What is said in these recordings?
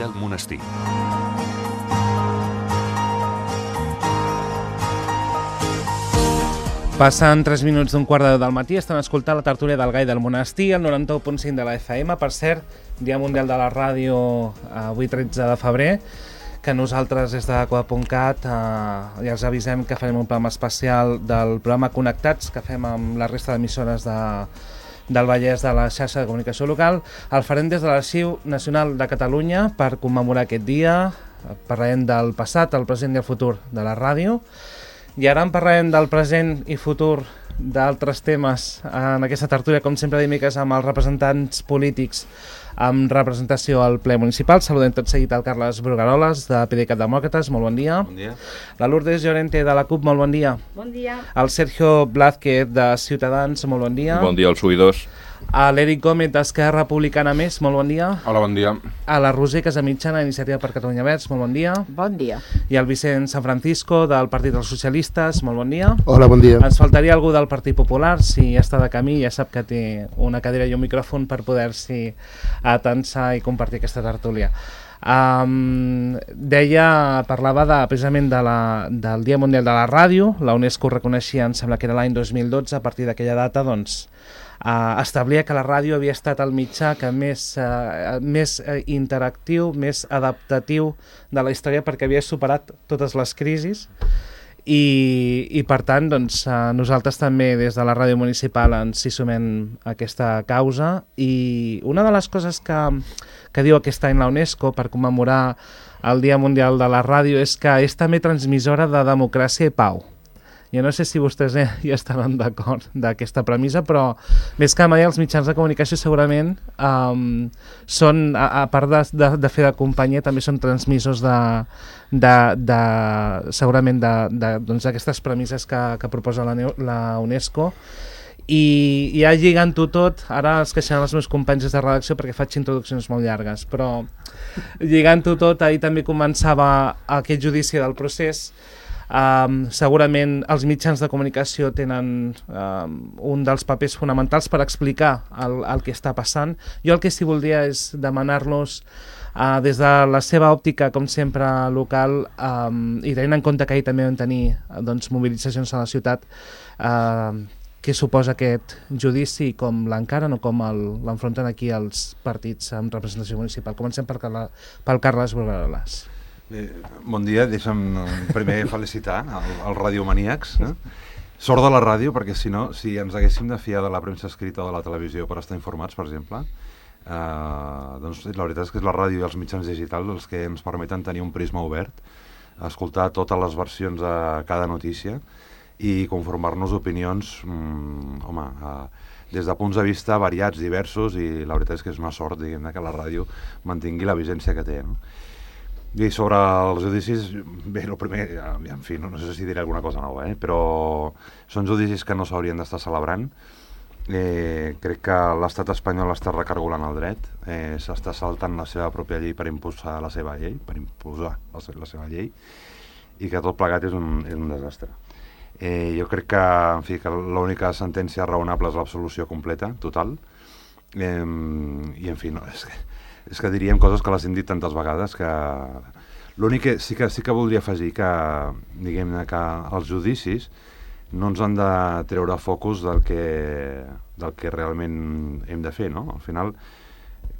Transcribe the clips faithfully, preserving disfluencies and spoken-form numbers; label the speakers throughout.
Speaker 1: del monestir.
Speaker 2: Passen tres minuts d'un quart de deu del matí, estan escoltant la tertúlia del Gai del Monestir, el noranta-u punt cinc de la F M. Per cert, Dia Mundial de la Ràdio, avui tretze de febrer, que nosaltres des de Coda punt cat eh, ja els avisem que farem un programa especial del programa Connectats, que fem amb la resta d'emissores de, del Vallès de la xarxa de comunicació local. El farem des de l'Arxiu Nacional de Catalunya per commemorar aquest dia. Parlarem del passat, el present i el futur de la ràdio. I ara en parlarem del present i futur d'altres temes en aquesta tertúlia, com sempre dimecres, amb els representants polítics amb representació al ple municipal. Saludem tot seguit al Carles Brugaroles, de PDeCAT Demòcrates, molt bon dia.
Speaker 3: Bon dia.
Speaker 2: La Lourdes Llorente, de la CUP, molt bon dia.
Speaker 4: Bon dia.
Speaker 2: El Sergio Blázquez, de Ciutadans, molt bon dia.
Speaker 3: Bon dia als oïdors.
Speaker 2: A l'Eric Gómez, d'Esquerra Republicana Més, molt bon dia.
Speaker 5: Hola, bon dia.
Speaker 2: A la Roser Casamitjana, Iniciativa per Catalunya Verds, molt bon dia.
Speaker 4: Bon dia.
Speaker 2: I al Vicent San Francisco, del Partit dels Socialistes, molt bon dia.
Speaker 6: Hola, bon dia.
Speaker 2: Ens faltaria algú del Partit Popular, si està de camí, ja sap que té una cadira i un micròfon per poder-s'hi atensar i compartir aquesta tertúlia. Um, deia, parlava de, precisament de la, del Dia Mundial de la Ràdio. La UNESCO reconeixia, em sembla que era l'any dos mil dotze, a partir d'aquella data, doncs, Uh, establia que la ràdio havia estat el mitjà que més, uh, més uh, interactiu, més adaptatiu de la història, perquè havia superat totes les crisis i, i per tant doncs, uh, nosaltres també des de la ràdio municipal ens hi sumem a aquesta causa. I una de les coses que, que diu aquest any la UNESCO per commemorar el Dia Mundial de la Ràdio és que és també transmissora de democràcia i pau. Jo no sé si vostès eh, hi estaran d'acord d'aquesta premissa, però més que mai els mitjans de comunicació segurament um, són, a, a part de, de, de fer de companyia, també són transmissors de, de, de segurament d'aquestes doncs, premisses que, que proposa la, la UNESCO. I ja lligant-ho tot, ara es queixaran els meus companys de redacció perquè faig introduccions molt llargues, però lligant-ho tot, ahir també començava aquest judici del procés. Um, segurament els mitjans de comunicació tenen um, un dels papers fonamentals per explicar el, el que està passant. Jo el que sí voldria és demanar-los uh, des de la seva òptica, com sempre, local, um, i tenint en compte que ahir també vam tenir doncs, mobilitzacions a la ciutat, uh, què suposa aquest judici, com l'encaren o com l'enfronten aquí els partits amb representació municipal. Comencem per, pel Carles Brugaroles.
Speaker 5: Bé, bon dia, deixa'm primer felicitar el, el radiomaníacs. Eh? Sort de la ràdio, perquè si no, si ens haguéssim de fiar de la premsa escrita o de la televisió per estar informats, per exemple, eh, doncs la veritat és que és la ràdio i els mitjans digitals els que ens permeten tenir un prisma obert, escoltar totes les versions de cada notícia i conformar-nos opinions, mm, home, eh, des de punts de vista variats, diversos, i la veritat és que és una sort, diguem-ne, que la ràdio mantingui la vigència que té, no? I sobre els judicis, bé, el primer, en fi, no, no sé si diré alguna cosa nova, eh? Però són judicis que no s'haurien d'estar celebrant. Eh, crec que l'estat espanyol està recargolant el dret, eh, s'està saltant la seva pròpia llei per impulsar la seva llei, per imposar la, la seva llei, i que tot plegat és un, és un desastre. Eh, jo crec que, en fi, que l'única sentència raonable és l'absolució completa, total, eh, i en fi, no, és que és que diríem coses que les hem dit tantes vegades que l'únic que sí que sí que voldria afegir que, diguem-ne, que els judicis no ens han de treure focus del que, del que realment hem de fer, no? Al final,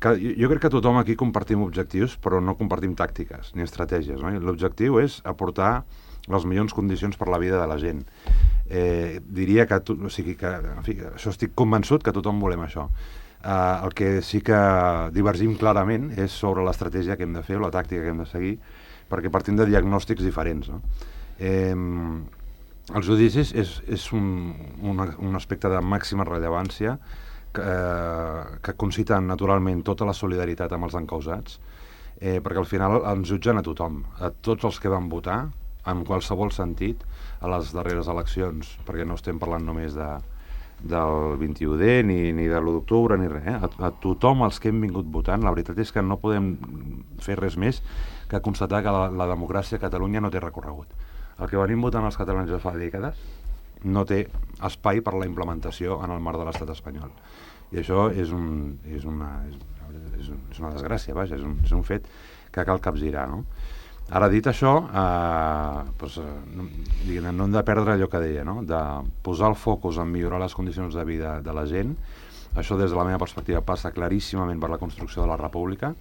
Speaker 5: que, jo, jo crec que tothom aquí compartim objectius, però no compartim tàctiques ni estratègies, no? L'objectiu és aportar les millors condicions per la vida de la gent. Eh, diria que, o sigui, que en fi, això estic convençut que tothom volem això. Uh, el que sí que divergim clarament és sobre l'estratègia que hem de fer o la tàctica que hem de seguir, perquè partim de diagnòstics diferents, no? Eh, els judicis és, és un, un, un aspecte de màxima rellevància que, eh, que conciten naturalment tota la solidaritat amb els encausats, eh, perquè al final ens jutgen a tothom, a tots els que van votar, en qualsevol sentit, a les darreres eleccions, perquè no estem parlant només de del vint-i-u de ni, ni de l'u d'octubre ni res, eh? a, a tothom els que hem vingut votant. La veritat és que no podem fer res més que constatar que la, la democràcia a Catalunya no té recorregut. El que venim votant els catalans ja fa dècades no té espai per la implementació en el marc de l'estat espanyol, i això és, un, és, una, és, és una desgràcia, vaja, és un, és un fet que cal capgirar, no? Ara, dit això, eh, doncs, eh, no, diguem, no hem de perdre allò que deia, no? De posar el focus en millorar les condicions de vida de la gent. Això, des de la meva perspectiva, passa claríssimament per la construcció de la república,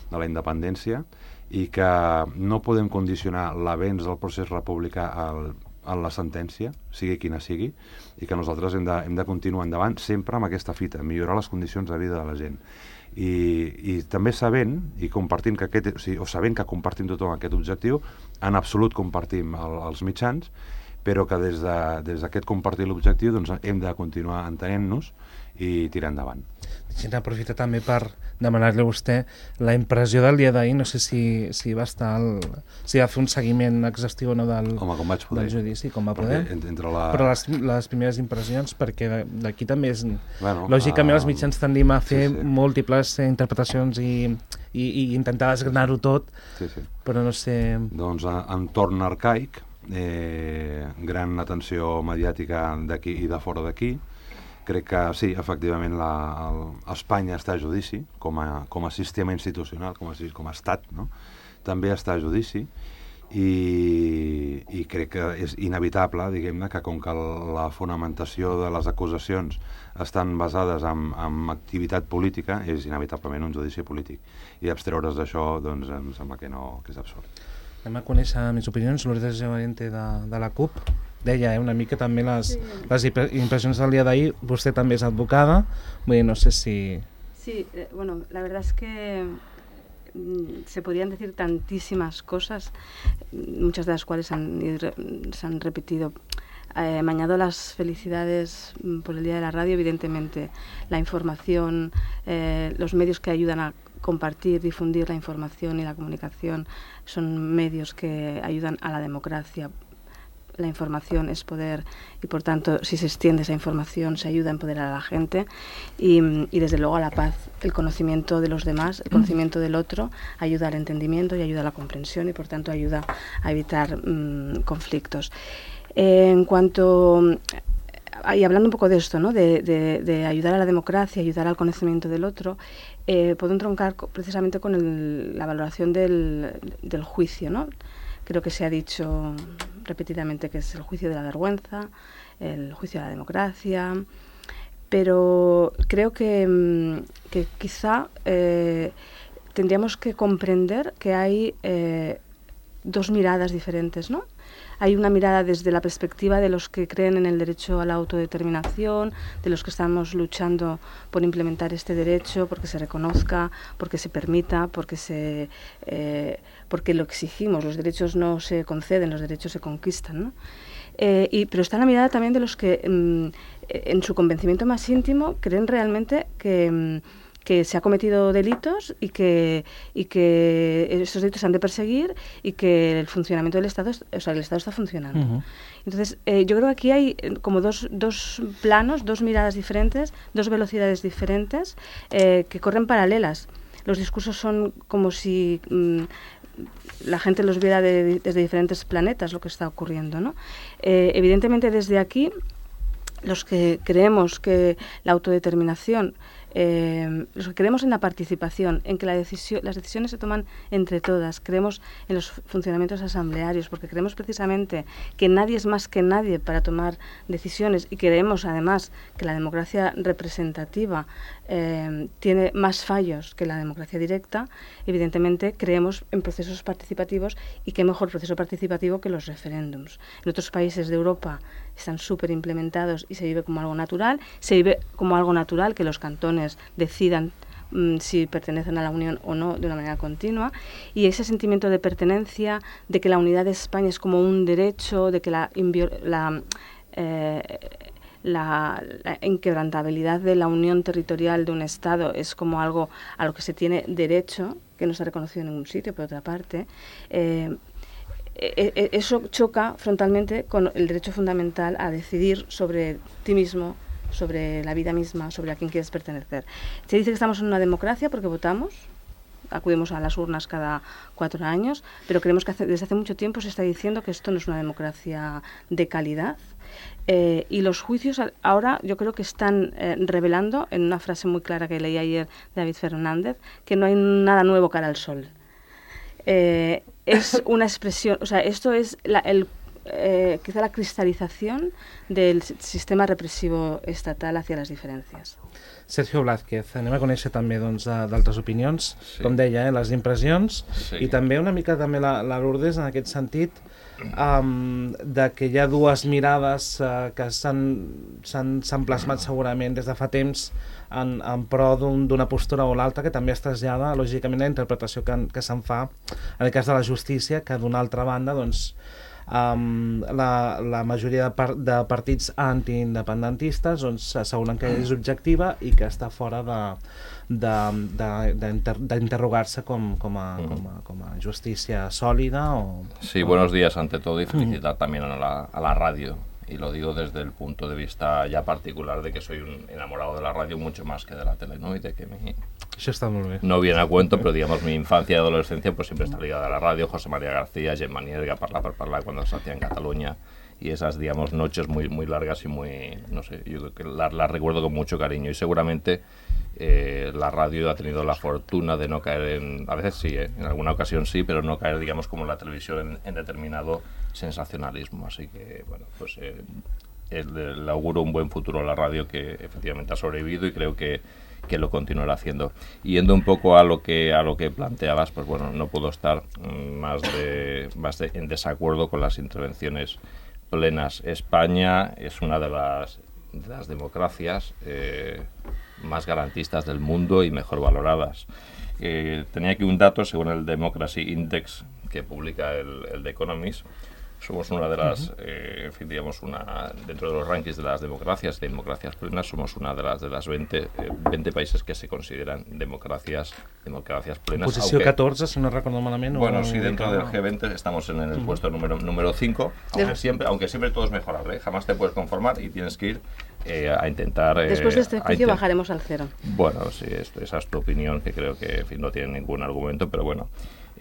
Speaker 5: de la independència, i que no podem condicionar l'avenç del procés republicà al, a la sentència, sigui quina sigui, i que nosaltres hem de, hem de continuar endavant sempre amb aquesta fita, millorar les condicions de vida de la gent. I, i també sabent, i compartint que aquest, o, sigui, o sabent que compartim tothom aquest objectiu, en absolut compartim el, els mitjans, però que des d'aquest de, des compartir l'objectiu doncs, hem de continuar entenent-nos i tirar endavant.
Speaker 2: Deixem aprofitar també per demanar-li a vostè la impressió del dia d'ahir, no sé si, si va estar el, si va fer un seguiment exhaustiu o no del,
Speaker 5: Home, com vaig poder.
Speaker 2: del judici, com va poder.
Speaker 5: Entre la...
Speaker 2: Però les, les primeres impressions, perquè d'aquí també és...
Speaker 5: Bueno,
Speaker 2: lògicament
Speaker 5: uh,
Speaker 2: els mitjans tendim a fer
Speaker 5: sí, sí.
Speaker 2: múltiples eh, interpretacions i, i, i intentar desgranar-ho tot,
Speaker 5: sí, sí.
Speaker 2: però no sé...
Speaker 5: Doncs entorn arcaic, eh, gran atenció mediàtica d'aquí i de fora d'aquí. Crec que sí, efectivament, la, el, Espanya està a judici, com a, com a sistema institucional, com a, com a estat, no? També està a judici, i, i crec que és inevitable, diguem-ne, que com que la fonamentació de les acusacions estan basades en, en activitat política, és inevitablement un judici polític. I abstreure's d'això, doncs, em sembla que no, que és absurd.
Speaker 2: Anem a conèixer més opinions. Lourdes Llorente de, de la CUP deia eh, una mica també les, sí. les impressions del dia d'ahir. Vostè també és advocada, vull dir, no sé si...
Speaker 1: Sí, eh, bueno, la verdad es que mm, se podrían decir tantísimas cosas, muchas de las cuales han, se han repetido. Eh, me añado las felicidades por el Día de la Radio, evidentemente la información, eh, los medios que ayudan a compartir, difundir la información y la comunicación son medios que ayudan a la democracia. La información es poder y, por tanto, si se extiende esa información, se ayuda a empoderar a la gente y, y desde luego, a la paz. El conocimiento de los demás, el conocimiento del otro, ayuda al entendimiento y ayuda a la comprensión y, por tanto, ayuda a evitar mmm, conflictos. Eh, en cuanto... Y hablando un poco de esto, ¿no? de, de, de ayudar a la democracia, ayudar al conocimiento del otro, eh, puedo entroncar precisamente con el, la valoración del, del juicio, ¿no? Creo que se ha dicho repetidamente que es el juicio de la vergüenza, el juicio de la democracia, pero creo que, que quizá eh, tendríamos que comprender que hay eh, dos miradas diferentes, ¿no? Hay una mirada desde la perspectiva de los que creen en el derecho a la autodeterminación, de los que estamos luchando por implementar este derecho, porque se reconozca, porque se permita, porque, se, eh, porque lo exigimos. Los derechos no se conceden, los derechos se conquistan, ¿no? Eh, y, pero está la mirada también de los que mm, en su convencimiento más íntimo creen realmente que... Mm, que se ha cometido delitos y que, y que esos delitos se han de perseguir y que el funcionamiento del Estado, o sea, el Estado está funcionando. Uh-huh. Entonces, eh, yo creo que aquí hay como dos, dos planos, dos miradas diferentes, dos velocidades diferentes eh, que corren paralelas. Los discursos son como si mmm, la gente los viera de, desde diferentes planetas, lo que está ocurriendo, ¿no? Eh, evidentemente, desde aquí, los que creemos que la autodeterminación, Eh, los que creemos en la participación, en que la decisión, las decisiones se toman entre todas, creemos en los funcionamientos asamblearios, porque creemos precisamente que nadie es más que nadie para tomar decisiones y creemos además que la democracia representativa eh, tiene más fallos que la democracia directa. Evidentemente creemos en procesos participativos y qué mejor proceso participativo que los referéndums. En otros países de Europa están súper implementados y se vive como algo natural, se vive como algo natural que los cantones decidan mmm, si pertenecen a la Unión o no de una manera continua, y ese sentimiento de pertenencia, de que la unidad de España es como un derecho, de que la, la, eh, la, la inquebrantabilidad de la unión territorial de un Estado es como algo a lo que se tiene derecho, que no se ha reconocido en ningún sitio, por otra parte, eh, eso choca frontalmente con el derecho fundamental a decidir sobre ti mismo, sobre la vida misma, sobre a quién quieres pertenecer. Se dice que estamos en una democracia porque votamos, acudimos a las urnas cada cuatro años, pero creemos que hace, desde hace mucho tiempo se está diciendo que esto no es una democracia de calidad. Eh, y los juicios ahora yo creo que están eh, revelando, en una frase muy clara que leí ayer de David Fernández, que no hay nada nuevo cara al sol. eh, es una expresión, o sea, esto es la, el, eh, quizá la cristalización del sistema represivo estatal hacia les diferències.
Speaker 2: Sergio Blázquez, anem a conèixer també doncs, d'altres opinions,
Speaker 3: Sí.
Speaker 2: com deia, eh, les impressions,
Speaker 3: Sí.
Speaker 2: i també una mica també la, la Lourdes en aquest sentit, um, de que hi ha dues mirades uh, que s'han plasmat segurament des de fa temps en, en pro d'una un, postura o l'altra, que també es trasllada lògicament la interpretació que, que se'n fa en el cas de la justícia, que d'una altra banda doncs, Um, la, la majoria de, par de partits antiindependentistes doncs, asseguren que és objectiva i que està fora d'interrogar-se com, com, a, com, a, com a justícia sòlida. O,
Speaker 3: sí,
Speaker 2: o...
Speaker 3: buenos días ante todo y felicitar mm. también a la, a la radio. Y lo digo desde el punto de vista ya particular de que soy un enamorado de la radio mucho más que de la tele, ¿no? Y de que mi...
Speaker 2: Això està molt bé.
Speaker 3: No viene a cuento, pero digamos mi infancia y adolescencia pues siempre está ligada a la radio. José María García, Gemma Nierga, Parla per Parlar cuando se hacía en Cataluña, y esas, digamos, noches muy, muy largas y muy, no sé, yo creo que las la recuerdo con mucho cariño, y seguramente eh, la radio ha tenido la fortuna de no caer en, a veces sí, ¿eh? En alguna ocasión sí, pero no caer, digamos, como la televisión en, en determinado sensacionalismo, así que, bueno, pues eh, el, le auguro un buen futuro a la radio, que efectivamente ha sobrevivido y creo que que lo continuará haciendo. Y yendo un poco a lo que a lo que planteabas, pues bueno, no puedo estar más de más de, en desacuerdo con las intervenciones plenas. España es una de las, de las democracias eh, más garantistas del mundo y mejor valoradas. Eh, tenía aquí un dato, según el Democracy Index que publica el, el The Economist. Somos una de las, uh-huh. eh, en fin, digamos, una, dentro de los rankings de las democracias, de democracias plenas, somos una de las de las veinte, eh, veinte países que se consideran democracias democracias plenas.
Speaker 2: Posició aunque, catorze, si no recuerdo malament.
Speaker 3: Bueno, sí, dentro del G veinte estamos en el uh-huh. puesto número número cinco, aunque siempre, aunque siempre todo es mejorable, ¿eh? Jamás te puedes conformar y tienes que ir eh, a intentar... Eh,
Speaker 1: Después de este juicio bajaremos al cero.
Speaker 3: Bueno, sí, esto, esa es tu opinión, que creo que, en fin, no tiene ningún argumento, pero bueno...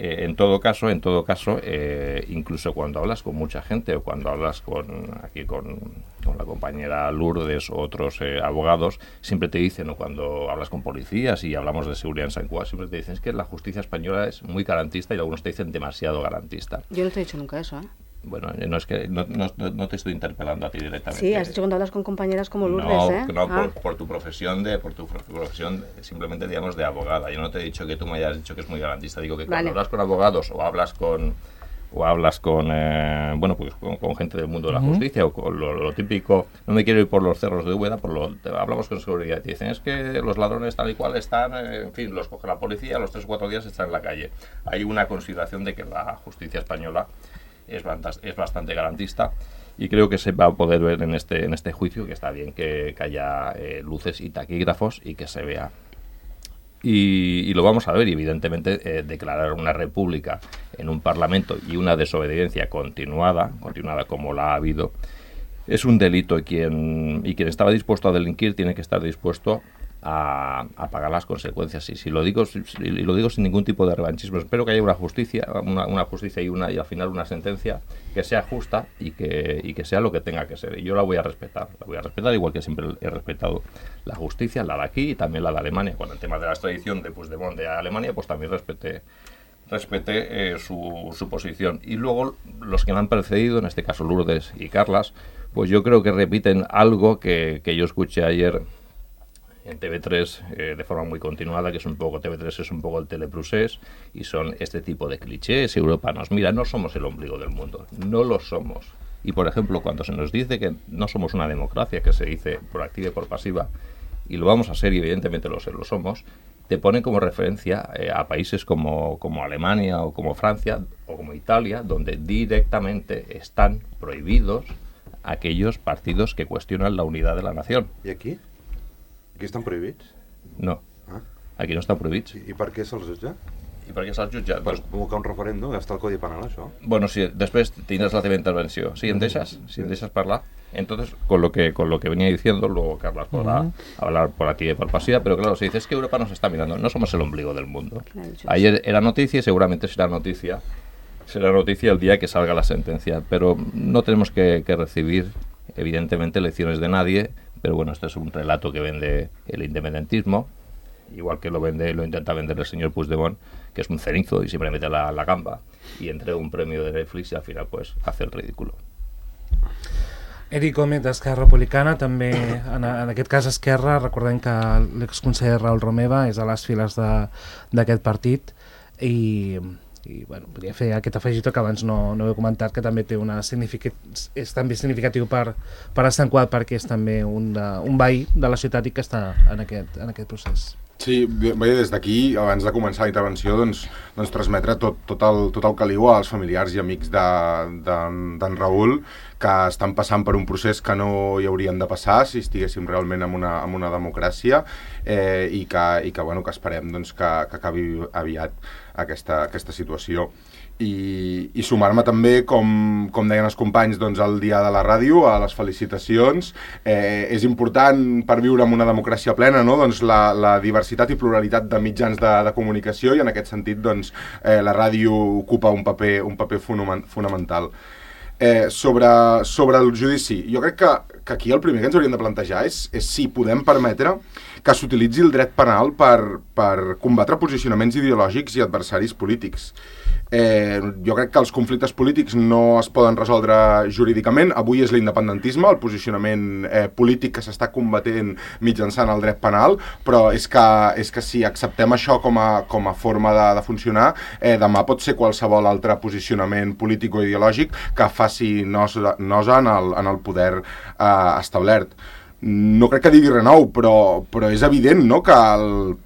Speaker 3: Eh, en todo caso, en todo caso, eh, incluso cuando hablas con mucha gente o cuando hablas con aquí con, con la compañera Lourdes o otros eh, abogados, siempre te dicen, o cuando hablas con policías y hablamos de seguridad en San Juan, siempre te dicen es que la justicia española es muy garantista, y algunos te dicen demasiado garantista.
Speaker 1: Yo no te he dicho nunca eso, ¿eh?
Speaker 3: Bueno, no es que no, no, no te estoy interpelando a ti directamente.
Speaker 1: Sí, has dicho cuando hablas con compañeras como Lourdes,
Speaker 3: no,
Speaker 1: ¿eh?
Speaker 3: No,
Speaker 1: ah.
Speaker 3: por, por tu profesión de, por tu profesión simplemente, digamos, de abogada. Yo no te he dicho que tú me hayas dicho que es muy garantista. Digo que cuando vale. hablas con abogados o hablas con o hablas con eh, bueno, pues con, con gente del mundo de la uh-huh. justicia o con lo, lo típico, no me quiero ir por los cerros de Úbeda, por lo, te, hablamos con seguridad y te dicen es que los ladrones tal y cual están, eh, en fin, los coge la policía, a los tres o cuatro días están en la calle. Hay una consideración de que la justicia española es bastante, es bastante garantista, y creo que se va a poder ver en este en este juicio que está bien que, que haya eh, luces y taquígrafos y que se vea. Y, y lo vamos a ver, y evidentemente eh, declarar una república en un parlamento y una desobediencia continuada, continuada como la ha habido, es un delito, y quien, y quien estaba dispuesto a delinquir tiene que estar dispuesto a, a pagar las consecuencias. Y si lo digo si, y lo digo sin ningún tipo de revanchismo, espero que haya una justicia, una, una justicia y una y al final una sentencia que sea justa y que, y que sea lo que tenga que ser. Y yo la voy a respetar, la voy a respetar igual que siempre he respetado la justicia, la de aquí y también la de Alemania. Cuando el tema de la extradición de Puigdemont de Alemania, pues también respeté respeté eh, su, su posición. Y luego los que me han precedido, en este caso Lourdes y Carlas, pues yo creo que repiten algo que, que yo escuché ayer en T V tres eh, de forma muy continuada, que es un poco, T V tres es un poco el teleprusés, y son este tipo de clichés. Europa nos mira, no somos el ombligo del mundo, no lo somos. Y por ejemplo, cuando se nos dice que no somos una democracia, que se dice por activa y por pasiva, y lo vamos a ser, y evidentemente lo, lo somos, te ponen como referencia eh, a países como, como Alemania o como Francia o como Italia, donde directamente están prohibidos aquellos partidos que cuestionan la unidad de la nación.
Speaker 5: ¿Y aquí? Aquí estan prohibits?
Speaker 3: No,
Speaker 5: ah.
Speaker 3: aquí no estan prohibits.
Speaker 5: I, i per què se'ls jutja?
Speaker 3: I per què se'ls jutja?
Speaker 5: Per convocar un referèndum, està el Codi Penal, això.
Speaker 3: Bueno, sí, després tindràs la teva intervenció. ¿Sí, em deixes? Si em deixes parlar. Entonces, con lo que con lo que venía diciendo, luego Carlas podrá uh-huh. hablar por aquí y por pasiva, pero claro, se dice, es que Europa nos está mirando, no somos el ombligo del mundo. Claro, ayer era noticia y seguramente será noticia, será noticia el día que salga la sentencia, pero no tenemos que, que recibir, evidentemente, lecciones de nadie. Pero bueno, este es un relato que vende el independentismo, igual que lo vende, lo intenta vender el señor Puigdemont, que es un cenizo y siempre mete la, la gamba y entrega un premio de Netflix y al final pues hace el ridículo.
Speaker 2: Eric Gómez d'Esquerra Republicana, també en, en aquest cas Esquerra, recordem que l'exconseller Raül Romeva és a les files d'aquest partit i, i bueno, podria fer aquest afegitó que abans no, no he comentat, que també té una significat, és també significatiu per, per Sant Qual, perquè és també un, de, un veí de la ciutat i que està en aquest, en aquest procés.
Speaker 4: Sí, bé, des d'aquí, abans de començar la intervenció, doncs, doncs transmetre tot, tot, el, tot el caliu als familiars i amics d'en Raül, que estan passant per un procés que no hi haurien de passar si estiguéssim realment en una, en una democràcia, eh, i que, i que, bueno, que esperem doncs, que, que acabi aviat aquesta, aquesta situació. I, i sumar-me també, com, com deien els companys, doncs, al Dia de la Ràdio, a les felicitacions. Eh, és important per viure en una democràcia plena, no? Doncs la, la diversitat i pluralitat de mitjans de, de comunicació, i en aquest sentit doncs, eh, la ràdio ocupa un paper, un paper fonamental. Eh, sobre, sobre el judici, jo crec que, que aquí el primer que ens hauríem de plantejar és, és si podem permetre que s'utilitzi el dret penal per, per combatre posicionaments ideològics i adversaris polítics. Eh, jo crec que els conflictes polítics no es poden resoldre jurídicament. Avui és l'independentisme, el posicionament eh, polític que s'està combatent mitjançant el dret penal, però és que, és que si acceptem això com a, com a forma de, de funcionar, eh, demà pot ser qualsevol altre posicionament polític o ideològic que faci nosa, nosa en, el, en el poder eh, establert. No crec que digui res nou, però, però és evident, no?, que el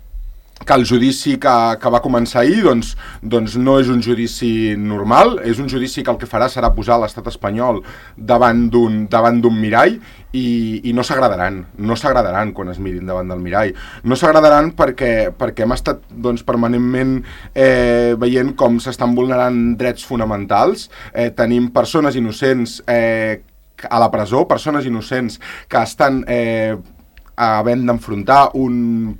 Speaker 4: que el judici que, que va començar ahir doncs, doncs no és un judici normal, és un judici que el que farà serà posar l'estat espanyol davant d'un davant d'un mirall i, i no s'agradaran, no s'agradaran quan es mirin davant del mirall. No s'agradaran perquè, perquè hem estat doncs, permanentment eh, veient com s'estan vulnerant drets fonamentals. Eh, tenim persones innocents eh, a la presó, persones innocents que estan Eh, havent d'enfrontar un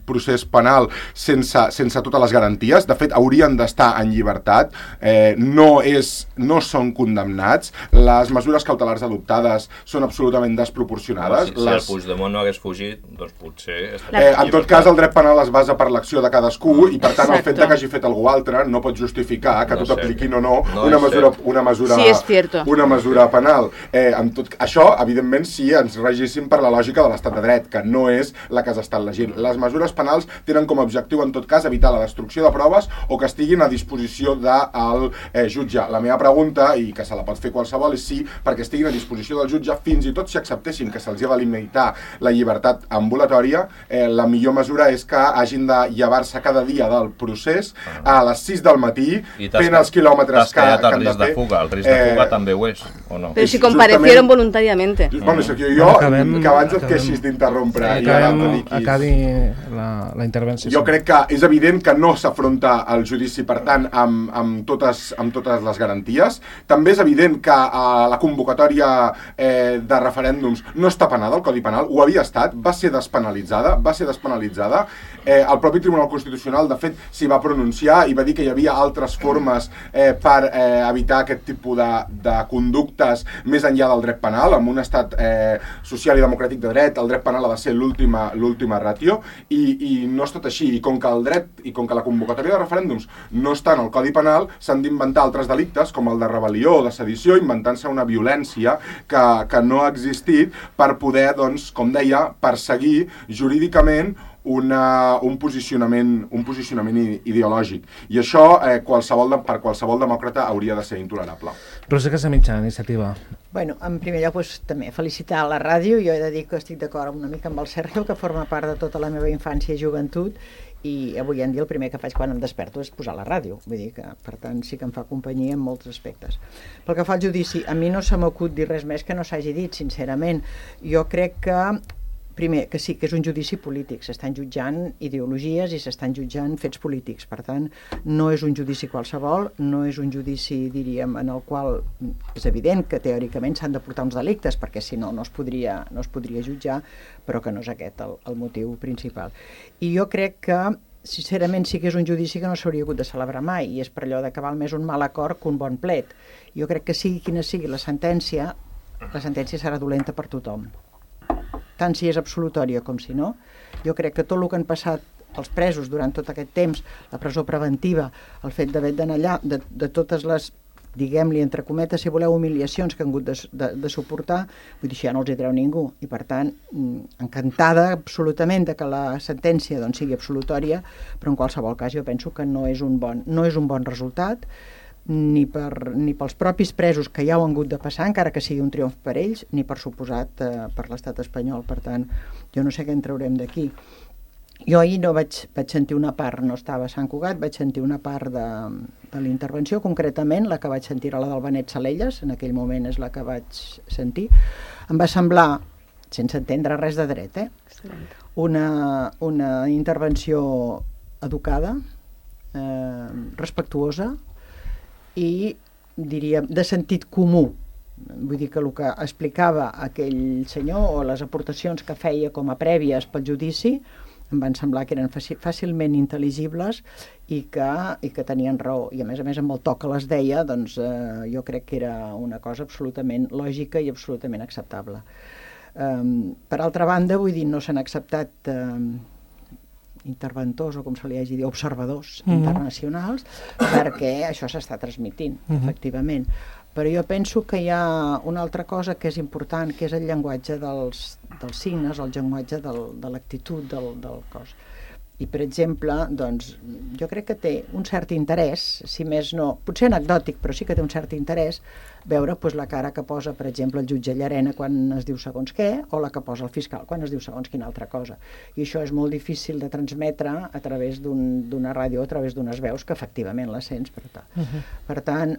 Speaker 4: procés penal sense, sense totes les garanties. De fet, haurien d'estar en llibertat, eh, no, és, no són condemnats, les mesures cautelars adoptades són absolutament desproporcionades.
Speaker 3: Si, si
Speaker 4: les...
Speaker 3: el Puigdemont no hagués fugit, doncs potser...
Speaker 4: Eh, en tot cas, el dret penal es basa per l'acció de cadascú i, per tant, Exacto. el fet de que hagi fet algú altre no pot justificar que no tot apliquin o no, no una, mesura, una, mesura,
Speaker 1: sí,
Speaker 4: una mesura penal. Eh, en tot, això, evidentment, si ens regíssim per la lògica de l'estat de dret, que no és la que s'està elegint. Les mesures penals tenen com a objectiu, en tot cas, evitar la destrucció de proves o que estiguin a disposició del eh, jutge. La meva pregunta, i que se la pot fer qualsevol, és si, perquè estiguin a disposició del jutge, fins i tot si acceptessin que se'ls ha de limitar la llibertat ambulatòria, eh, la millor mesura és que hagin de llevar-se cada dia del procés a les sis del matí, fent els quilòmetres que, que han de fer.
Speaker 3: El risc de fuga, el risc de fuga eh, també ho és, o no?
Speaker 1: Però si comparecieron voluntariamente.
Speaker 4: Bueno, Sergio, jo, acabem, que abans et queixis d'interrompre i ara
Speaker 2: acabi la, la intervenció.
Speaker 4: Jo crec que és evident que no s'afronta el judici, per tant, amb, amb, totes, amb totes les garanties. També és evident que eh, la convocatòria eh, de referèndums no està penada, el Codi Penal, ho havia estat, va ser despenalitzada, va ser despenalitzada. Eh, el propi Tribunal Constitucional, de fet, s'hi va pronunciar i va dir que hi havia altres formes eh, per eh, evitar aquest tipus de, de conductes més enllà del dret penal. En un estat eh, social i democràtic de dret, el dret penal ha de ser l'última l'última ràtio, i, i no és tot així. I com que el dret i com que la convocatòria de referèndums no està en el Codi Penal, s'han d'inventar altres delictes, com el de rebel·lió o de sedició, inventant-se una violència que, que no ha existit per poder, doncs, com deia, perseguir jurídicament Una, un posicionament, un posicionament ideològic. I això eh, qualsevol de, per qualsevol demòcrata hauria de ser intolerable.
Speaker 2: Roser Casamitjà, Iniciativa.
Speaker 6: Bueno, en primer lloc, doncs, també felicitar la ràdio. Jo he de dir que estic d'acord una mica amb el Sergio, que forma part de tota la meva infància i joventut, i avui en dia el primer que faig quan em desperto és posar la ràdio. Vull dir que, per tant, sí que em fa companyia en molts aspectes. Pel que fa al judici, a mi no se m'acut dir res més que no s'hagi dit, sincerament. Jo crec que primer, que sí, que és un judici polític, s'estan jutjant ideologies i s'estan jutjant fets polítics, per tant, no és un judici qualsevol, no és un judici, diríem, en el qual és evident que teòricament s'han de portar uns delictes, perquè si no, no es podria, no es podria jutjar, però que no és aquest el, el motiu principal. I jo crec que, sincerament, sí que és un judici que no s'hauria hagut de celebrar mai, i és per allò de que val més un mal acord que un bon plet. Jo crec que sigui quina sigui la sentència, la sentència serà dolenta per tothom. Tant si és absolutòria com si no. Jo crec que tot el que han passat els presos durant tot aquest temps, la presó preventiva, el fet d'haver d'anar allà, de, de totes les, diguem-li, entre cometes, si voleu, humiliacions que han hagut de, de, de suportar, vull dir, això ja no els hi treu ningú. I, per tant, encantada absolutament de que la sentència doncs, sigui absolutòria, però en qualsevol cas jo penso que no és un bon, no és un bon resultat, ni, per, ni pels propis presos que ja ho han hagut de passar, encara que sigui un triomf per ells, ni per suposat eh, per l'estat espanyol. Per tant, jo no sé què en traurem d'aquí. Jo ahir no vaig, vaig sentir una part, no estava a Sant Cugat, vaig sentir una part de, de l'intervenció, concretament la que vaig sentir a la del Benet Salelles, en aquell moment és la que vaig sentir. Em va semblar, sense entendre res de dret, eh? una, una intervenció educada, eh, respectuosa i, diria, de sentit comú. Vull dir que el que explicava aquell senyor o les aportacions que feia com a prèvies pel judici em van semblar que eren fàcilment intel·ligibles i que, i que tenien raó. I a més a més amb el to que les deia, doncs eh, jo crec que era una cosa absolutament lògica i absolutament acceptable. Um, per altra banda, vull dir, no s'han acceptat um, interventors o com se li hagi dit, observadors mm-hmm. internacionals, perquè això s'està transmitint, mm-hmm. efectivament. Però jo penso que hi ha una altra cosa que és important, que és el llenguatge dels, dels signes, el llenguatge del, de l'actitud del, del cos. I, per exemple, doncs, jo crec que té un cert interès, si més no, potser anecdòtic, però sí que té un cert interès, veure doncs, la cara que posa, per exemple, el jutge Llarena quan es diu segons què, o la que posa el fiscal quan es diu segons quina altra cosa. I això és molt difícil de transmetre a través d'un, d'una ràdio, a través d'unes veus que efectivament la sents. Per tant, uh-huh. per tant,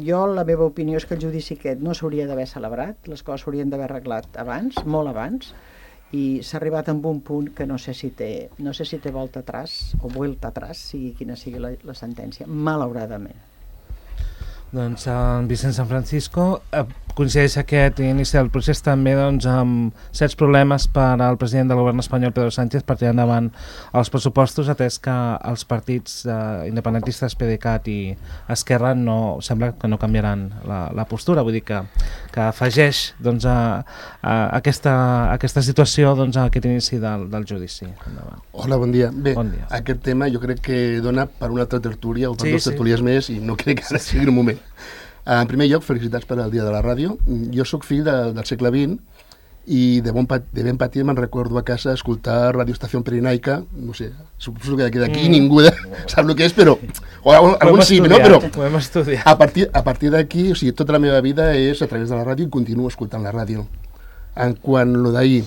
Speaker 6: jo la meva opinió és que el judici aquest no s'hauria d'haver celebrat, les coses s'haurien d'haver arreglat abans, molt abans, i s'ha arribat a un punt que no sé si té, no sé si té volta atrás o vuelta atrás, sigui quina sigui la, la sentència, malauradament.
Speaker 2: Doncs en Vicent San Francisco eh, coincideix aquest inici del procés també doncs, amb certs problemes per al president del govern espanyol, Pedro Sánchez, per tirar endavant els pressupostos, atès que els partits eh, independentistes PDeCAT i Esquerra no, sembla que no canviaran la, la postura, vull dir que, que afegeix doncs, a, a aquesta, a aquesta situació doncs, a aquest inici del, del judici. Endavant.
Speaker 7: Hola, bon dia. Bé,
Speaker 2: bon dia.
Speaker 7: Aquest tema jo crec que dona per una altra tertúlia o per
Speaker 2: sí,
Speaker 7: dues tertúlies sí. més i no crec que ara sigui un moment. En primer lloc, felicitats per al Dia de la Ràdio. Jo sóc fill de, del segle vint i de, bon pat, de ben petit me'n recordo a casa escoltar Radio Estació Pirenaica, no sé, suposo que d'aquí mm. ningú de, sap el que és, però o, o, algun sí, no? Però a partir, a partir d'aquí, o sigui, tota la meva vida és a través de la ràdio i continuo escoltant la ràdio. En quant a lo d'ahir,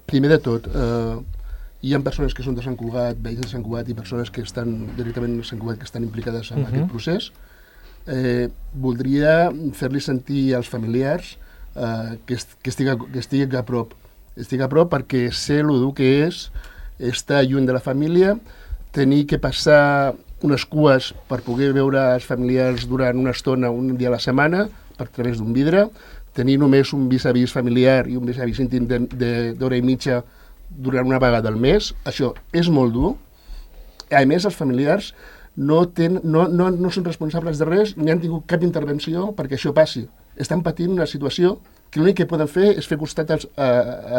Speaker 7: primer de tot, eh, hi ha persones que són de Sant Cugat, veïns de Sant Cugat i persones que estan directament a Sant Cugat que estan implicades en uh-huh. aquest procés. Eh, voldria fer-li sentir als familiars eh, que, est que, estigui, que estigui a prop estigui a prop perquè sé el dur que és estar lluny de la família, tenir que passar unes cues per poder veure els familiars durant una estona, un dia a la setmana, per través d'un vidre, tenir només un vis-a-vis familiar i un vis-a-vis íntim d'hora i mitja durant una vegada al mes. Això és molt dur. A més, els familiars No, ten, no, no, no són responsables de res, ni han tingut cap intervenció perquè això passi. Estan patint una situació que l'únic que poden fer és fer costat als, a,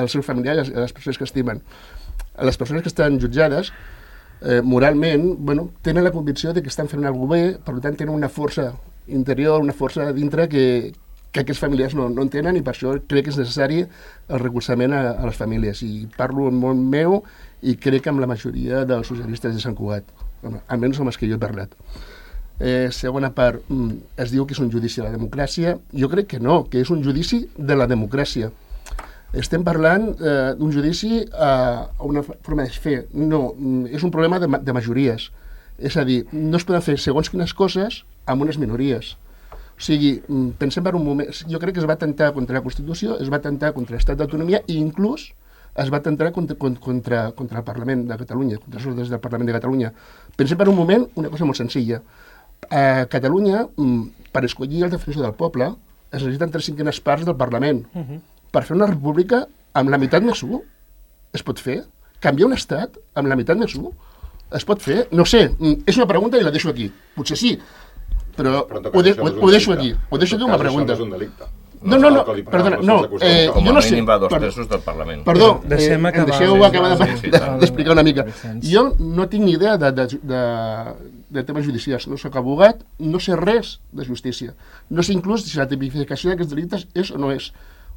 Speaker 7: als seus familiars, a les persones que estimen. A les persones que estan jutjades, eh, moralment, bueno, tenen la convicció de que estan fent alguna cosa bé, per tant tenen una força interior, una força dintre que, que aquests familiars no, no en tenen i per això crec que és necessari el recolzament a, a les famílies. I parlo en molt meu i crec que amb la majoria dels socialistes de Sant Cugat. Almenys amb els que jo he parlat. Eh, segona part, es diu que és un judici a la democràcia. Jo crec que no, que és un judici de la democràcia. Estem parlant eh, d'un judici a, a una forma de fer. No, és un problema de, de majories. És a dir, no es poden fer segons quines coses amb unes minories. O sigui, pensem per un moment, jo crec que es va atemptar contra la Constitució, es va atemptar contra l'estat d'autonomia i inclús es va atemptar contra, contra, contra el Parlament de Catalunya, contra els ordres del Parlament de Catalunya. Pensem per un moment una cosa molt senzilla. A Catalunya, per escollir el defensor del poble, es necessiten tres cinquenes parts del Parlament. Uh-huh. Per fer una república amb la meitat més u, es pot fer? Canviar un estat amb la meitat més u? Es pot fer? No sé, és una pregunta i la deixo aquí. Potser sí, però, però ho, de, ho, ho deixo aquí. Ho deixo aquí una pregunta.
Speaker 4: Això no és un delicte.
Speaker 7: No, no, no, perdona, no, eh,
Speaker 3: com
Speaker 7: jo no
Speaker 3: a
Speaker 7: sé...
Speaker 3: mínim va dos
Speaker 7: per-
Speaker 3: terços del Parlament.
Speaker 7: Perdó, eh,
Speaker 2: Deixem
Speaker 7: em
Speaker 2: acabar.
Speaker 7: deixeu acabar de-
Speaker 2: Sí, sí,
Speaker 7: de-
Speaker 2: sí.
Speaker 7: d'explicar una mica.
Speaker 2: Vicenç.
Speaker 7: Jo no tinc ni idea de, de, de, de temes judicials, no sóc abogat, no sé res de justícia. No sé inclús si la tipificació d'aquests delictes és o no és.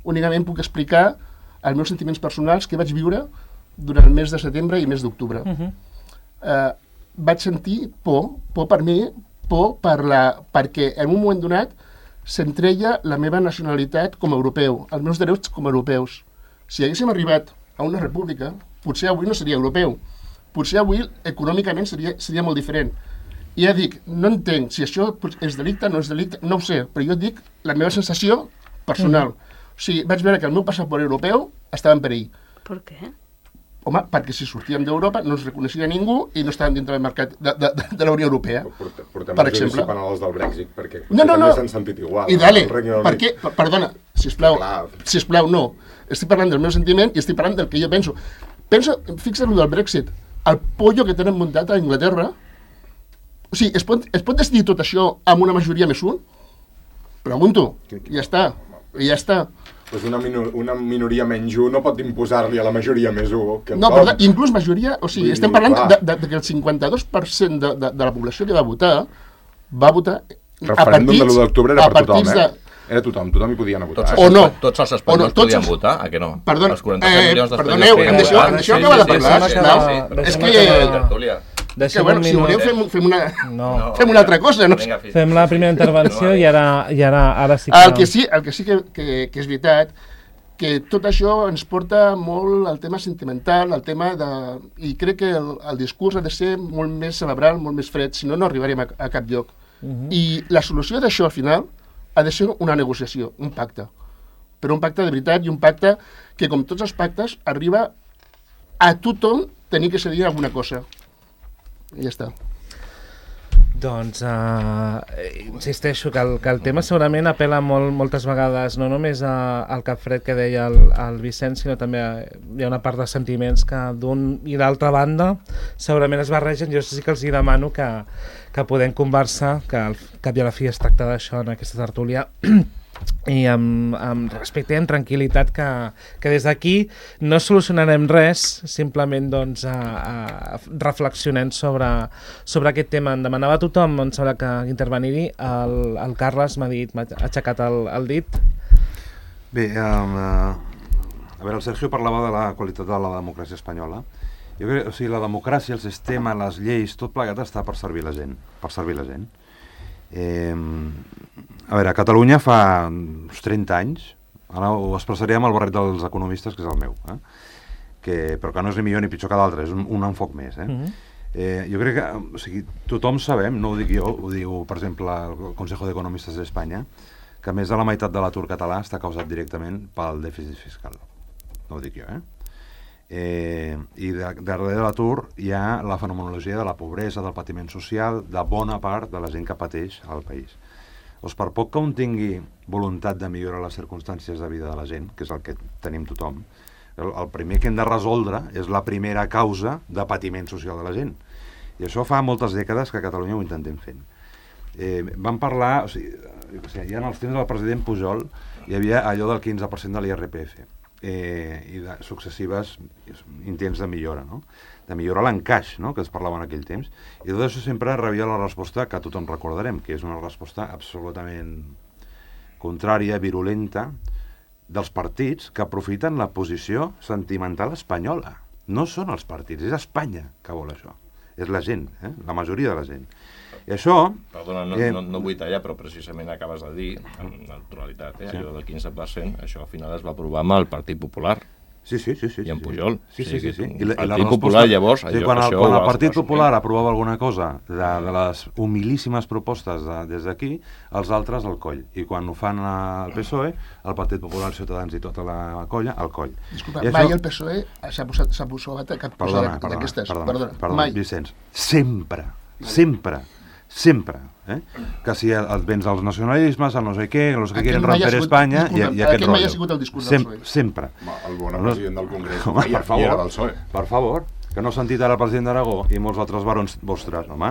Speaker 7: Únicament puc explicar els meus sentiments personals que vaig viure durant el mes de setembre i mes d'octubre.
Speaker 2: Uh -huh.
Speaker 7: eh, vaig sentir por, por per mi, por per la, perquè en un moment donat s'entreia la meva nacionalitat com a europeu, els meus drets com a europeus. Si haguéssim arribat a una república, potser avui no seria europeu, potser avui econòmicament seria, seria molt diferent. I ja dic, no entenc si això és delicte, no és delicte, no ho sé, però jo dic la meva sensació personal. Mm. O sigui, vaig veure que el meu passaport europeu estava en perill.
Speaker 1: Per què?
Speaker 7: Home, perquè si sortíem d'Europa no ens reconeixia ningú i no estàvem dintre del mercat de, de, de, de la Unió Europea.
Speaker 4: Portem, portem
Speaker 7: per
Speaker 4: el judici
Speaker 7: exemple.
Speaker 4: penal als del Brexit, perquè
Speaker 7: No, no,
Speaker 4: també
Speaker 7: no.
Speaker 4: s'han sentit igual.
Speaker 7: I dale,
Speaker 4: al Regne Unit.
Speaker 7: per què? Per- Perdona, sisplau,
Speaker 4: Clar.
Speaker 7: sisplau, no. Estic parlant del meu sentiment i estic parlant del que jo penso. Penso, fixa't lo del Brexit, el pollo que tenen muntat a Anglaterra, o sigui, es pot, es pot decidir tot això amb una majoria més un? Pregunto, i ja està, i ja està.
Speaker 4: Pues una, minor, una minoria menys un no pot imposar-li a la majoria més un. Que
Speaker 7: No, però inclús majoria, o sigui,
Speaker 4: Vull
Speaker 7: estem
Speaker 4: dir,
Speaker 7: parlant
Speaker 4: clar.
Speaker 7: de, de, de que el cinquanta-dos per cent de, de, de la població que va votar va votar
Speaker 4: El referèndum de l'u d'octubre era
Speaker 7: a
Speaker 4: per tothom,
Speaker 7: partits
Speaker 4: eh?
Speaker 7: de-
Speaker 4: Era tothom, tothom hi podia anar a votar.
Speaker 3: Tots
Speaker 4: eh?
Speaker 7: O no.
Speaker 3: Tots els
Speaker 7: O
Speaker 3: espanyols
Speaker 7: no, tots
Speaker 3: podien
Speaker 7: els-
Speaker 3: votar, a què no?
Speaker 7: Perdona,
Speaker 3: Els quaranta-set
Speaker 7: eh,
Speaker 3: milions d'espanyols
Speaker 7: perdoneu,
Speaker 3: que hi
Speaker 7: em
Speaker 3: ha.
Speaker 7: deixeu-
Speaker 3: Ah,
Speaker 7: em deixeu
Speaker 3: sí,
Speaker 7: acabar
Speaker 3: sí,
Speaker 7: de
Speaker 3: sí,
Speaker 7: parlar,
Speaker 3: sí, sí,
Speaker 7: sisplau?
Speaker 3: sí, sí.
Speaker 7: És
Speaker 2: Deixem
Speaker 7: que-
Speaker 2: acabar.
Speaker 3: Tertúlia.
Speaker 7: Que,
Speaker 2: Deixem
Speaker 7: bueno,
Speaker 2: un
Speaker 7: si
Speaker 2: minut.
Speaker 7: voleu fem, fem, una,
Speaker 2: No.
Speaker 7: fem una altra cosa. No?
Speaker 3: Vinga, fins-
Speaker 2: Fem la primera intervenció i ara, i ara, ara sí que...
Speaker 7: El que sí, el que, sí que, que, que és veritat, que tot això ens porta molt al tema sentimental, al tema de... I crec que el, el discurs ha de ser molt més cerebral, molt més fred, si no, no arribarem a, a cap lloc. Uh -huh. I la solució d'això, al final, ha de ser una negociació, un pacte. Però un pacte de veritat i un pacte que, com tots els pactes, arriba a tothom tenir que cedir alguna cosa. I ja està.
Speaker 2: Doncs uh, insisteixo que el, que el tema segurament apela molt, moltes vegades no només a, al cap fred que deia el, el Vicenç, sinó també a, hi ha una part de sentiments que d'un i d'altra banda segurament es barregen. Jo sí que els hi demano que, que podem conversar, que al cap i a la fi es tracta d'això en aquesta tertúlia, i amb, amb respecte i amb tranquil·litat, que, que des d'aquí no solucionarem res, simplement doncs, a, a reflexionem sobre, sobre aquest tema. Em demanava tothom, em sembla que intervenir-hi, el, el Carles m'ha dit, m'ha aixecat el, el dit.
Speaker 5: Bé, um, uh, a veure, el Sergio parlava de la qualitat de la democràcia espanyola. Jo crec, o sigui, la democràcia, el sistema, les lleis, tot plegat està per servir la gent, per servir la gent. Eh, a veure, a Catalunya fa uns trenta anys, ara ho expressaré amb el barret dels economistes, que és el meu, eh? que, però que no és ni millor ni pitjor que d'altres, és un, un enfoc més. Eh?
Speaker 2: Uh-huh.
Speaker 5: Eh, jo crec que o sigui, tothom sabem, no ho dic jo, ho diu, per exemple, el Consejo d'Economistes d'Espanya, que més de la meitat de l'atur català està causat directament pel dèficit fiscal. No ho dic jo, eh? Eh, i de, darrere de l'atur hi ha la fenomenologia de la pobresa, del patiment social de bona part de la gent que pateix al país. Doncs per poc que un tingui voluntat de millorar les circumstàncies de vida de la gent, que és el que tenim tothom, el, el primer que hem de resoldre és la primera causa de patiment social de la gent. I això fa moltes dècades que a Catalunya ho intentem fent. Eh, vam parlar, o sigui, o sigui, ja en els temps del president Pujol hi havia allò del quinze per cent de l'I R P F. Eh, i de successives intents de millora, no? De millorar l'encaix, no? Que es parlava en aquell temps, i tot això sempre rebia la resposta que tothom recordarem, que és una resposta absolutament contrària, virulenta, dels partits que aprofiten la posició sentimental espanyola. No són els partits, és Espanya que vol això. És la gent, eh? La majoria de la gent. I això...
Speaker 3: Perdona, no,
Speaker 5: eh,
Speaker 3: no, no vull tallar, però precisament acabes de dir, amb naturalitat, eh,
Speaker 5: Sí.
Speaker 3: allò del quinze per cent, això al final es va aprovar amb el Partit Popular.
Speaker 5: Sí, sí, sí, sí.
Speaker 3: I en
Speaker 5: sí,
Speaker 3: Pujol.
Speaker 5: Sí, sí,
Speaker 3: O sigui
Speaker 5: sí. sí.
Speaker 3: que
Speaker 5: I la,
Speaker 3: el
Speaker 5: i la
Speaker 3: Partit
Speaker 5: resposta-
Speaker 3: Popular, llavors,
Speaker 5: sí,
Speaker 3: allò-
Speaker 5: quan el,
Speaker 3: això
Speaker 5: quan
Speaker 3: ho
Speaker 5: el
Speaker 3: va-
Speaker 5: Partit
Speaker 3: va assumir.
Speaker 5: Popular aprovava alguna cosa de, de les humilíssimes propostes de, des d'aquí, els altres al coll. I quan ho fan al P S O E, el Partit Popular, Ciutadans i tota la colla, al coll.
Speaker 7: Disculpa,
Speaker 5: I
Speaker 7: mai
Speaker 5: això-
Speaker 7: el P S O E s'ha posat, s'ha posat a cap
Speaker 5: Perdona,
Speaker 7: posada
Speaker 5: perdona,
Speaker 7: d'aquestes.
Speaker 5: perdona,
Speaker 7: Perdona,
Speaker 5: perdona,
Speaker 7: mai.
Speaker 5: Vicenç. Sempre, sempre, sempre. Eh? Que si et vens als nacionalismes, al no sé què, los que
Speaker 7: Aquest
Speaker 5: quieren
Speaker 7: mai ha
Speaker 5: romper
Speaker 7: sigut-
Speaker 5: Espanya, i,
Speaker 7: disculpa'm,
Speaker 5: i aquest
Speaker 7: aquest mai ha
Speaker 5: rotllo.
Speaker 7: sigut el discurs del
Speaker 5: Sem
Speaker 7: P S O E.
Speaker 5: Sempre.
Speaker 4: Home, el bon
Speaker 5: No,
Speaker 4: president del Congrés
Speaker 5: Home,
Speaker 4: feia,
Speaker 5: per favor,
Speaker 4: era del P S O E.
Speaker 5: per favor. que no ha sentit ara el president d'Aragó i molts altres barons vostres, home.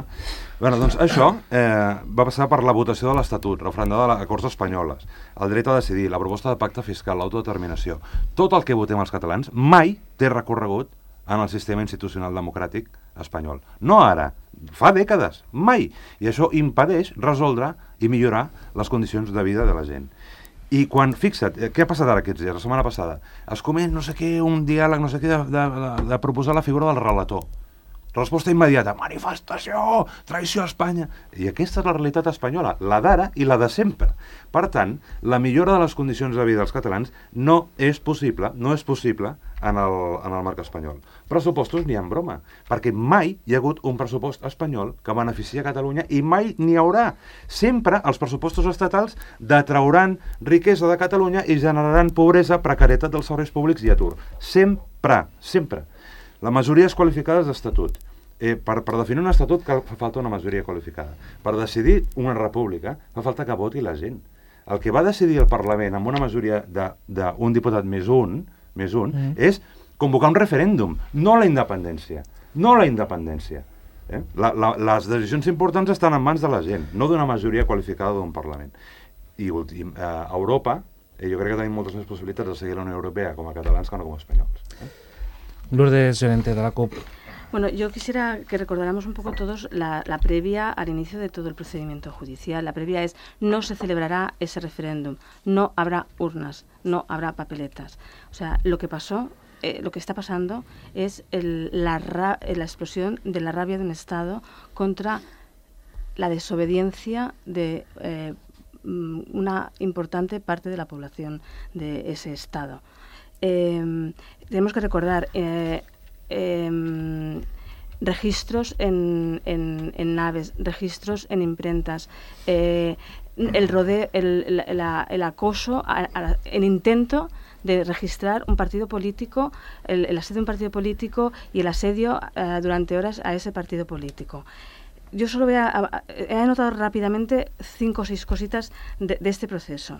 Speaker 5: Bé, doncs això eh, va passar per la votació de l'Estatut, referendada de les Corts Espanyoles, el dret a decidir, la proposta de pacte fiscal, l'autodeterminació. Tot el que votem els catalans mai té recorregut en el sistema institucional democràtic espanyol. No ara, fa dècades, mai. I això impedeix resoldre i millorar les condicions de vida de la gent. I quan, fixa't, què ha passat ara aquests dies, la setmana passada? Es comet no sé què, un diàleg, no sé què, de, de, de proposar la figura del relator. Resposta immediata, manifestació, traïció a Espanya. I aquesta és la realitat espanyola, la d'ara i la de sempre. Per tant, la millora de les condicions de vida dels catalans no és possible, no és possible en el, en el marc espanyol. Pressupostos n'hi ha en broma, perquè mai hi ha hagut un pressupost espanyol que beneficia Catalunya i mai n'hi haurà. Sempre els pressupostos estatals detrauran riquesa de Catalunya i generaran pobresa, precarietat dels serveis públics i atur. Sempre, sempre. La majoria és qualificada d'estatut. Eh, per, per definir un estatut cal, fa falta una majoria qualificada. Per decidir una república fa falta que voti la gent. El que va decidir el Parlament amb una majoria d'un diputat més un, més un mm. és convocar un referèndum, no la independència. No la independència. Eh? La, la, les decisions importants estan en mans de la gent, no d'una majoria qualificada d'un Parlament. I últim, eh, a Europa, eh, jo crec que tenim moltes més possibilitats de seguir la Unió Europea com a catalans que no com a espanyols. Eh?
Speaker 2: Lourdes Llorente, de la CUP.
Speaker 1: Bueno, yo quisiera que recordáramos un poco todos la, la previa al inicio de todo el procedimiento judicial. La previa es: no se celebrará ese referéndum, no habrá urnas, no habrá papeletas. O sea, lo que pasó, eh, lo que está pasando es el, la, ra, la explosión de la rabia de un Estado contra la desobediencia de eh, una importante parte de la población de ese Estado. Eh, tenemos que recordar eh, eh, registros en, en, en naves, registros en imprentas, eh, el rodeo, el, la, el acoso, a, a, el intento de registrar un partido político, el, el asedio de un partido político y el asedio uh, durante horas a ese partido político. Yo solo voy a, a, he anotado rápidamente cinco o seis cositas de, de este proceso.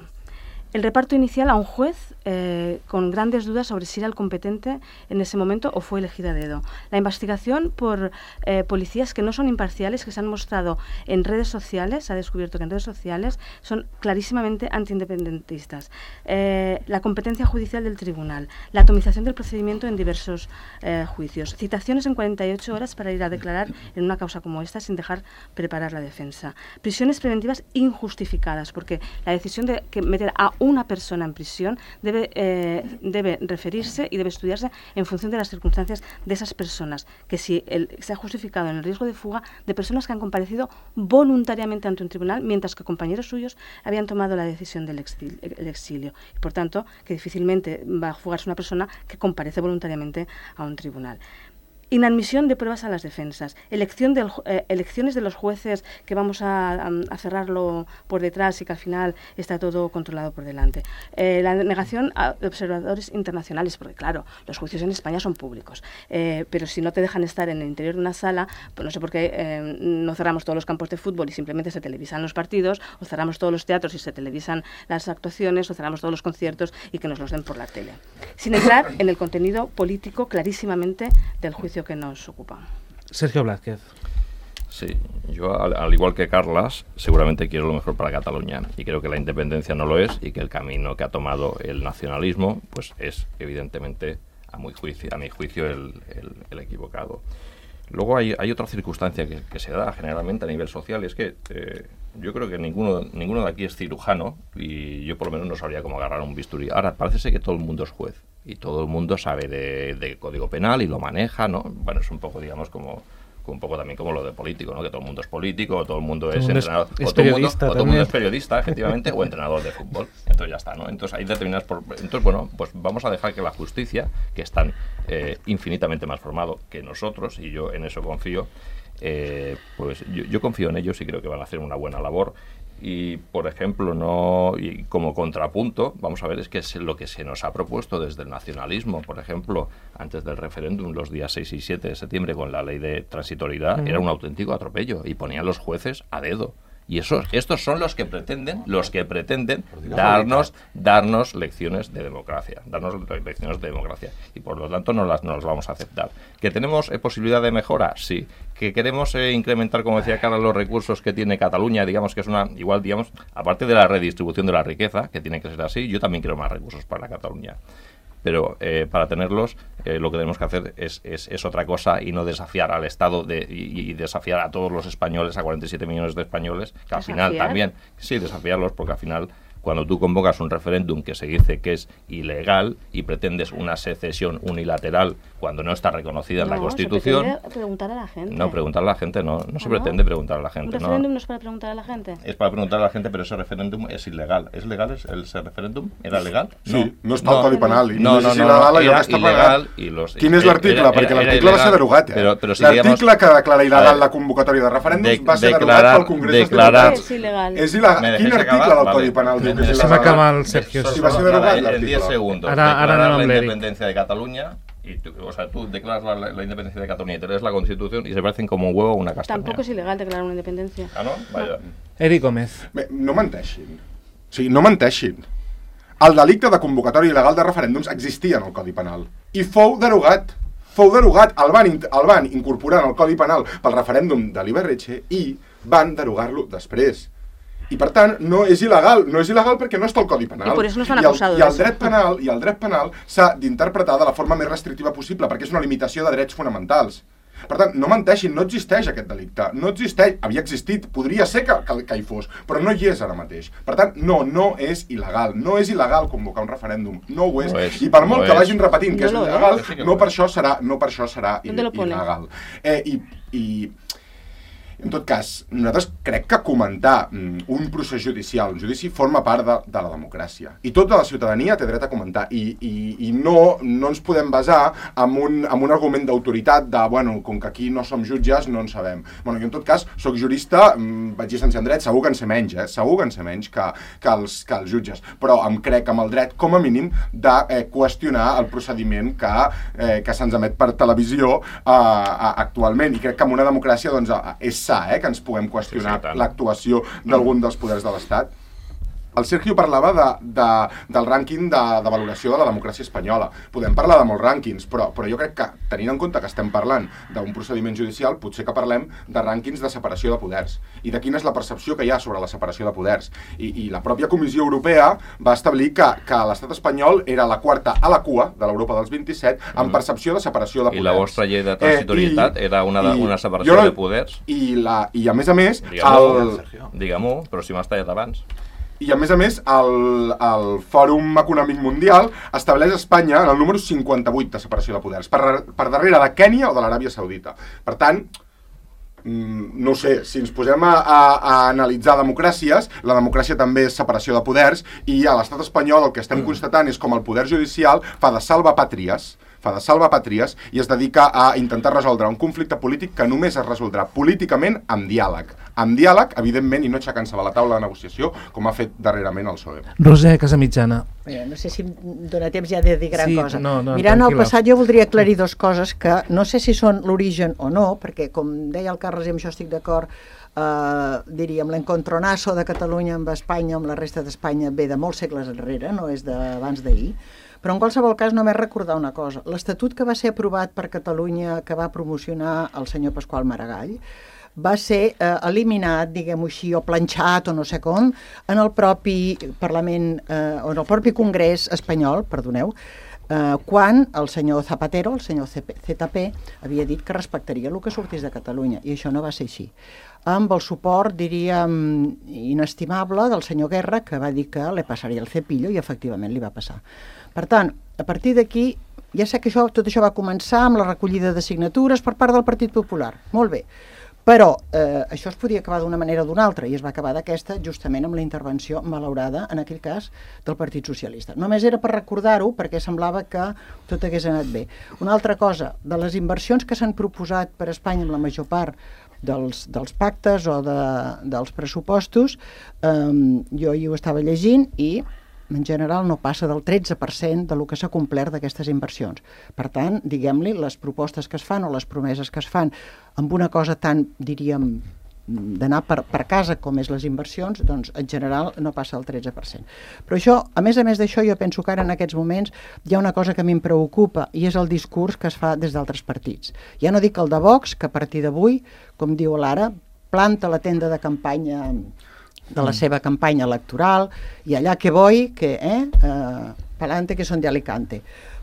Speaker 1: El reparto inicial a un juez eh, con grandes dudas sobre si era el competente en ese momento o fue elegido a dedo. La investigación por eh, policías que no son imparciales, que se han mostrado en redes sociales, se ha descubierto que en redes sociales son clarísimamente antiindependentistas. Eh, la competencia judicial del tribunal, la atomización del procedimiento en diversos eh, juicios, citaciones en cuarenta y ocho horas para ir a declarar en una causa como esta sin dejar preparar la defensa. Prisiones preventivas injustificadas, porque la decisión de que meter a una persona en prisión debe, eh, debe referirse y debe estudiarse en función de las circunstancias de esas personas, que si el, se ha justificado en el riesgo de fuga de personas que han comparecido voluntariamente ante un tribunal, mientras que compañeros suyos habían tomado la decisión del exilio, el exilio. Y por tanto, que difícilmente va a fugarse una persona que comparece voluntariamente a un tribunal. Inadmisión de pruebas a las defensas, elección del, eh, elecciones de los jueces que vamos a, a, a cerrarlo por detrás y que al final está todo controlado por delante. Eh, la negación a observadores internacionales, porque claro, los juicios en España son públicos, eh, pero si no te dejan estar en el interior de una sala, pues no sé por qué eh, no cerramos todos los campos de fútbol y simplemente se televisan los partidos, o cerramos todos los teatros y se televisan las actuaciones, o cerramos todos los conciertos y que nos los den por la tele. Sin entrar en el contenido político clarísimamente del juicio que nos ocupa.
Speaker 2: Sergio Blázquez.
Speaker 3: Sí, yo al, al igual que Carlas, seguramente quiero lo mejor para Cataluña y creo que la independencia no lo es y que el camino que ha tomado el nacionalismo pues es evidentemente a, muy juicio, a mi juicio el, el, el equivocado. Luego hay, hay otra circunstancia que, que se da generalmente a nivel social, y es que eh, yo creo que ninguno, ninguno de aquí es cirujano y yo por lo menos no sabría cómo agarrar un bisturí. Ahora, parece ser que todo el mundo es juez y todo el mundo sabe de, de Código Penal y lo maneja, ¿no? Bueno, es un poco, digamos, como... un poco también como lo de político, ¿no? Que todo el mundo es político, o todo el mundo es entrenador,
Speaker 2: es, es
Speaker 3: o todo el mundo, o todo el mundo es
Speaker 2: periodista,
Speaker 3: periodista, efectivamente, o entrenador de fútbol. Entonces ya está, ¿no? Entonces hay determinadas por... Entonces, bueno, pues vamos a dejar que la justicia, que es tan eh, infinitamente más formado que nosotros, y yo en eso confío, eh, pues yo, yo confío en ellos y creo que van a hacer una buena labor. Y, por ejemplo, no y como contrapunto, vamos a ver, es que es lo que se nos ha propuesto desde el nacionalismo, por ejemplo, antes del referéndum, los días seis y siete de septiembre, con la ley de transitoriedad, uh-huh. era un auténtico atropello, y ponían los jueces a dedo. Y esos, estos son los que pretenden, los que pretenden darnos, darnos lecciones de democracia, darnos lecciones de democracia. Y por lo tanto no las, no las vamos a aceptar. ¿Que tenemos eh, posibilidad de mejora? Sí. ¿Que queremos eh, incrementar, como decía Carla, los recursos que tiene Cataluña? Digamos que es una, igual, digamos, aparte de la redistribución de la riqueza, que tiene que ser así, yo también quiero más recursos para Cataluña. Pero eh, para tenerlos eh, lo que tenemos que hacer es, es, es otra cosa y no desafiar al Estado de, y, y desafiar a todos los españoles, a cuarenta y siete millones de españoles, que al ¿Desafiar? final también, sí, desafiarlos, porque al final cuando tú convocas un referéndum que se dice que es ilegal y pretendes una secesión unilateral cuando no está reconocida en
Speaker 1: no,
Speaker 3: la Constitución...
Speaker 1: Se pretende preguntar a la gente.
Speaker 3: No, preguntar a la gente no, no se
Speaker 1: ¿Ah,
Speaker 3: pretende
Speaker 1: no?
Speaker 3: preguntar a la gente.
Speaker 1: ¿Un referéndum
Speaker 3: no.
Speaker 1: no es para preguntar a la gente?
Speaker 3: Es para preguntar a la gente, pero ese referéndum es ilegal. ¿Es legal ese, ese referéndum? ¿Era legal?
Speaker 4: Sí, no, no està al Codi Penal.
Speaker 3: No, no, no, no, era il·legal. I los,
Speaker 4: Quin és l'article? Perquè l'article va ser derogat, eh?
Speaker 3: Però, però si
Speaker 4: l'article que declara il·legal la convocatòria de referèndums va ser derogat pel Congrés dels Diputats.
Speaker 1: És il·legal.
Speaker 4: És il·legal. Quin article del Codi Penal diu que és il·legal?
Speaker 2: Se m'acaba el Sergio.
Speaker 4: Si va ser derogat
Speaker 3: en
Speaker 4: l'article.
Speaker 3: diez segundos.
Speaker 2: Ara, ara
Speaker 3: declarar
Speaker 2: anem
Speaker 3: la
Speaker 2: amb
Speaker 3: independencia de Cataluña. Y tú, o sea, tú declaras la, la independencia de Cataluña y te lees la Constitución y se parecen como un huevo a una castaña.
Speaker 1: Tampoco es ilegal declarar una independencia.
Speaker 3: Ah, no? Vaya.
Speaker 2: Eric Gómez.
Speaker 4: Bé, no menteixin. O sigui, no menteixin. El delicte de convocatòria il·legal de referèndums existia en el Codi Penal. I fou derogat. Fou derogat. El van, el van incorporar en el Codi Penal pel referèndum de l'Iberretxe i van derogar-lo després. I per tant, no és il·legal, no és il·legal perquè no està al Codi Penal.
Speaker 1: I per això no estan
Speaker 4: I el,
Speaker 1: acusados.
Speaker 4: I el dret penal, i el dret penal s'ha d'interpretar de la forma més restrictiva possible, perquè és una limitació de drets fonamentals. Per tant, no menteixin, no existeix aquest delicte, no existeix, havia existit, podria ser que, que, que hi fos, però no hi és ara mateix. Per tant, no, no és il·legal, no és il·legal convocar un referèndum, no ho és.
Speaker 3: No és
Speaker 4: I per molt
Speaker 3: no
Speaker 4: que
Speaker 3: és.
Speaker 4: vagin repetint que
Speaker 1: No
Speaker 4: és
Speaker 1: lo
Speaker 4: il·legal,
Speaker 3: és.
Speaker 4: no per això serà, no per això serà
Speaker 1: ¿Dónde lo pone?
Speaker 4: il·legal. Eh, i, i En tot cas, nosaltres crec que comentar mm, un procés judicial, un judici, forma part de, de la democràcia. I tota la ciutadania té dret a comentar. I, i, i no, no ens podem basar en un, en un argument d'autoritat de, bueno, com que aquí no som jutges, no en sabem. Bueno, jo en tot cas, soc jurista, mm, vaig llicenciar en dret, segur que en sé menys, eh? Segur que en sé menys que, que, els, que els jutges. Però em crec amb el dret, com a mínim, de eh, qüestionar el procediment que, eh, que se'ns emet per televisió eh, actualment. I crec que en una democràcia doncs, és Eh, que ens puguem qüestionar sí, sí, l'actuació d'algun dels poders de l'Estat. El Sergio parlava de, de, del rànquing de, de valoració de la democràcia espanyola. Podem parlar de molts rànquings, però, però jo crec que, tenint en compte que estem parlant d'un procediment judicial, potser que parlem de rànquings de separació de poders i de quina és la percepció que hi ha sobre la separació de poders. I, i la pròpia Comissió Europea va establir que, que l'estat espanyol era la quarta a la cua de l'Europa dels vint-i-set en percepció de separació de poders.
Speaker 3: I la vostra llei de transitorietat eh, era una, de, una separació
Speaker 4: no,
Speaker 3: de poders?
Speaker 4: I, la, i a més a més...
Speaker 3: Digue-m'ho, el... digue-m'ho, però si m'has tallat abans.
Speaker 4: I a més a més, el, el Fòrum Econòmic Mundial estableix Espanya en el número cinquanta-vuit de separació de poders, per, per darrere de Kènia o de l'Aràbia Saudita. Per tant, no ho sé, si ens posem a, a, a analitzar democràcies, la democràcia també és separació de poders, i a l'estat espanyol el que estem constatant és com el poder judicial fa de salvapàtries, fa de salvapàtries i es dedica a intentar resoldre un conflicte polític que només es resoldrà políticament amb diàleg. Amb diàleg, evidentment, i no aixecant-se de la taula de negociació, com ha fet darrerament el P S O E.
Speaker 2: Roser Casamitjana.
Speaker 6: Mira, no sé si em dóna temps ja de dir gran
Speaker 2: sí,
Speaker 6: cosa.
Speaker 2: No, no,
Speaker 6: Mirant
Speaker 2: tranquil·la.
Speaker 6: el passat, jo voldria aclarir dues coses que no sé si són l'origen o no, perquè, com deia el Carles, i amb això estic d'acord, eh, diríem, l'encontronazo de Catalunya amb Espanya, amb la resta d'Espanya, ve de molts segles enrere, no és d'abans d'ahir. Però en qualsevol cas només recordar una cosa. L'Estatut que va ser aprovat per Catalunya, que va promocionar el senyor Pasqual Maragall, va ser eh, eliminat, diguem-ho així, o planxat, o no sé com, en el propi Parlament, eh, o en el propi Congrés espanyol, perdoneu, eh, quan el senyor Zapatero, el senyor Z P, havia dit que respectaria el que sortís de Catalunya, i això no va ser així. Amb el suport, diríem, inestimable del senyor Guerra, que va dir que li passaria el cepillo, i efectivament li va passar. Per tant, a partir d'aquí, ja sé que això, tot això va començar amb la recollida de signatures per part del Partit Popular. Molt bé. Però eh, això es podia acabar d'una manera o d'una altra, i es va acabar d'aquesta justament amb la intervenció malaurada, en aquell cas, del Partit Socialista. Només era per recordar-ho, perquè semblava que tot hagués anat bé. Una altra cosa, de les inversions que s'han proposat per Espanya amb la major part dels, dels pactes o de, dels pressupostos, eh, jo hi ho estava llegint i en general no passa del tretze per cent de lo que s'ha complert d'aquestes inversions. Per tant, diguem-li, les propostes que es fan o les promeses que es fan amb una cosa tan, diríem, d'anar per, per casa, com és les inversions, doncs en general no passa el tretze per cent. Però això, a més a més d'això, jo penso que ara en aquests moments hi ha una cosa que a mi em preocupa i és el discurs que es fa des d'altres partits. Ja no dic el de Vox, que a partir d'avui, com diu l'Ara, planta la tenda de campanya de la seva campanya electoral i allà que voy, que eh, eh pa'lante que són de Alicante.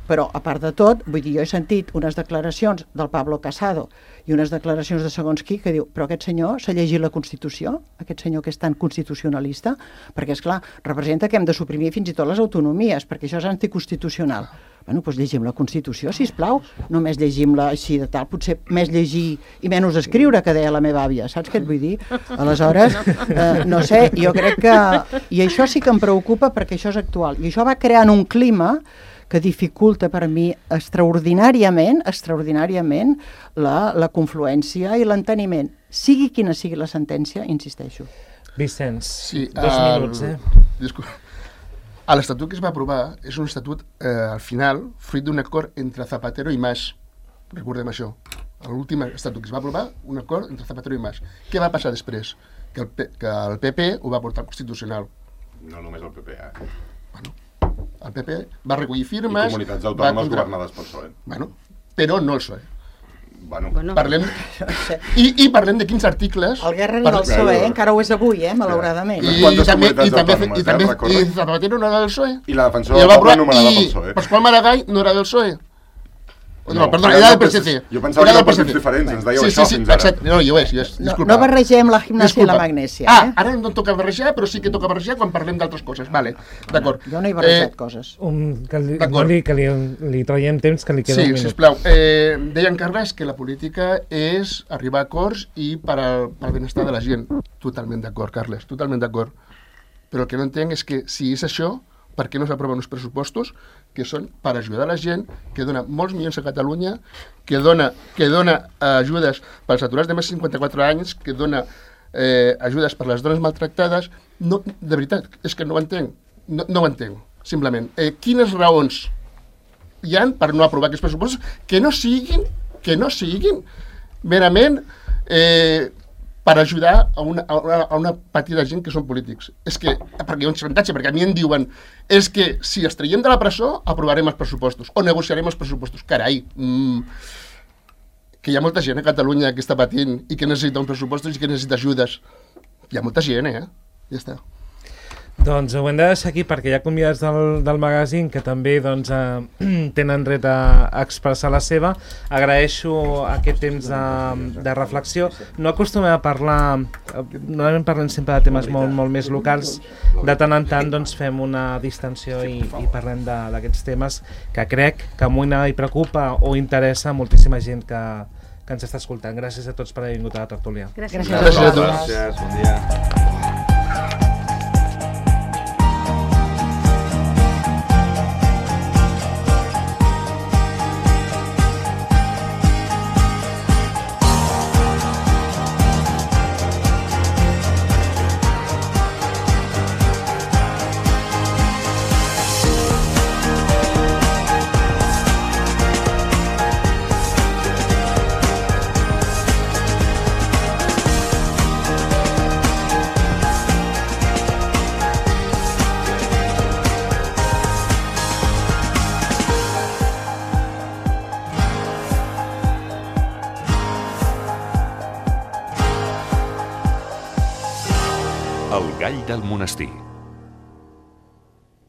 Speaker 6: Però, a part de tot, vull dir, jo he sentit unes declaracions del Pablo Casado i unes declaracions de segons qui que diu, però aquest senyor s'ha llegit la Constitució, aquest senyor que és tan constitucionalista, perquè, és clar, representa que hem de suprimir fins i tot les autonomies, perquè això és anticonstitucional. Bueno, doncs llegim la Constitució, sisplau, només llegim-la així de tal, potser més llegir i menys escriure, que deia la meva àvia, saps què et vull dir? Aleshores, eh, no sé, jo crec que... I això sí que em preocupa perquè això és actual. I això va creant un clima que dificulta per mi extraordinàriament, extraordinàriament la, la confluència i l'enteniment. Sigui quina sigui la sentència, insisteixo.
Speaker 2: Vicenç,
Speaker 7: sí,
Speaker 2: dos
Speaker 7: el...
Speaker 2: minuts, eh?
Speaker 7: Disculpa. L'estatut que es va aprovar és un estatut, eh, al final, fruit d'un acord entre Zapatero i Mas. Recordem això. L'últim estatut que es va aprovar, un acord entre Zapatero i Mas. Què va passar després? Que el, P que el P P ho va portar al Constitucional.
Speaker 4: No només el P P, eh?
Speaker 7: Bueno, el P P va recollir firmes...
Speaker 4: I comunitats autònomes contra... governades pel P S O E.
Speaker 7: Bueno, però no el P S O E.
Speaker 4: Bueno,
Speaker 7: bueno, parlem... I, I parlem de quins articles...
Speaker 6: El Guerra no del P S O E, encara ho és avui, eh, malauradament.
Speaker 7: I, i, també, i, també, i, també, i Zapatero no era del P S O E.
Speaker 4: I la defensora del poble anomenada pel P S O E.
Speaker 7: I Pasqual Maragall no era del P S O E. No, no, perdona, era del P S C.
Speaker 4: Jo pensava que eren partits diferents, ens dèieu
Speaker 7: sí,
Speaker 4: això
Speaker 7: sí, sí,
Speaker 4: fins ara.
Speaker 7: Exacte. No, jo és, jo és.
Speaker 6: No, no barregem la gimnàsia i la magnèsia.
Speaker 7: Ah,
Speaker 6: eh?
Speaker 7: ara no toca barrejar, però sí que toca barrejar quan parlem d'altres coses. Vale, d'acord.
Speaker 6: Jo no he barrejat eh, coses.
Speaker 2: Um, que li, no li, que li, li traiem temps, que li queda
Speaker 7: sí,
Speaker 2: un minut.
Speaker 7: Sí, sisplau. Eh, deia en Carles que la política és arribar a acords i per al, per al benestar de la gent. Totalment d'acord, Carles, totalment d'acord. Però el que no entenc és que si és això, per què no s'aproven uns pressupostos que són per ajudar la gent, que dona molts milions a Catalunya, que dona, que dona ajudes pels aturats de més de cinquanta-quatre anys, que dona eh, ajudes per les dones maltractades. No, de veritat, és que no ho entenc. No, no ho entenc, simplement. Eh, quines raons hi han per no aprovar aquests pressupostos que no siguin, que no siguin merament eh, per ajudar a una, a, una, a una petita gent que són polítics. És que, perquè hi ha un xantatge, perquè a mi em diuen és que si els traiem de la presó aprovarem els pressupostos, o negociarem els pressupostos. Carai, mm, que hi ha molta gent a Catalunya que està patint i que necessita uns pressupostos i que necessita ajudes. Hi ha molta gent, eh? Ja està.
Speaker 2: Doncs ho hem de deixar aquí perquè hi ha convidats del, del magazín que també doncs, eh, tenen dret a, a expressar la seva. Agraeixo aquest temps de, de reflexió. No acostumem a parlar, normalment parlem sempre de temes molt, molt més locals. De tant en tant doncs, fem una distensió i, i parlem d'aquests temes que crec que amoïna i preocupa o interessa a moltíssima gent que, que ens està escoltant. Gràcies a tots per haver vingut a la tertúlia.
Speaker 1: Gràcies,
Speaker 7: Gràcies a tots.
Speaker 5: Gràcies, bon dia.
Speaker 8: El gall del monestir.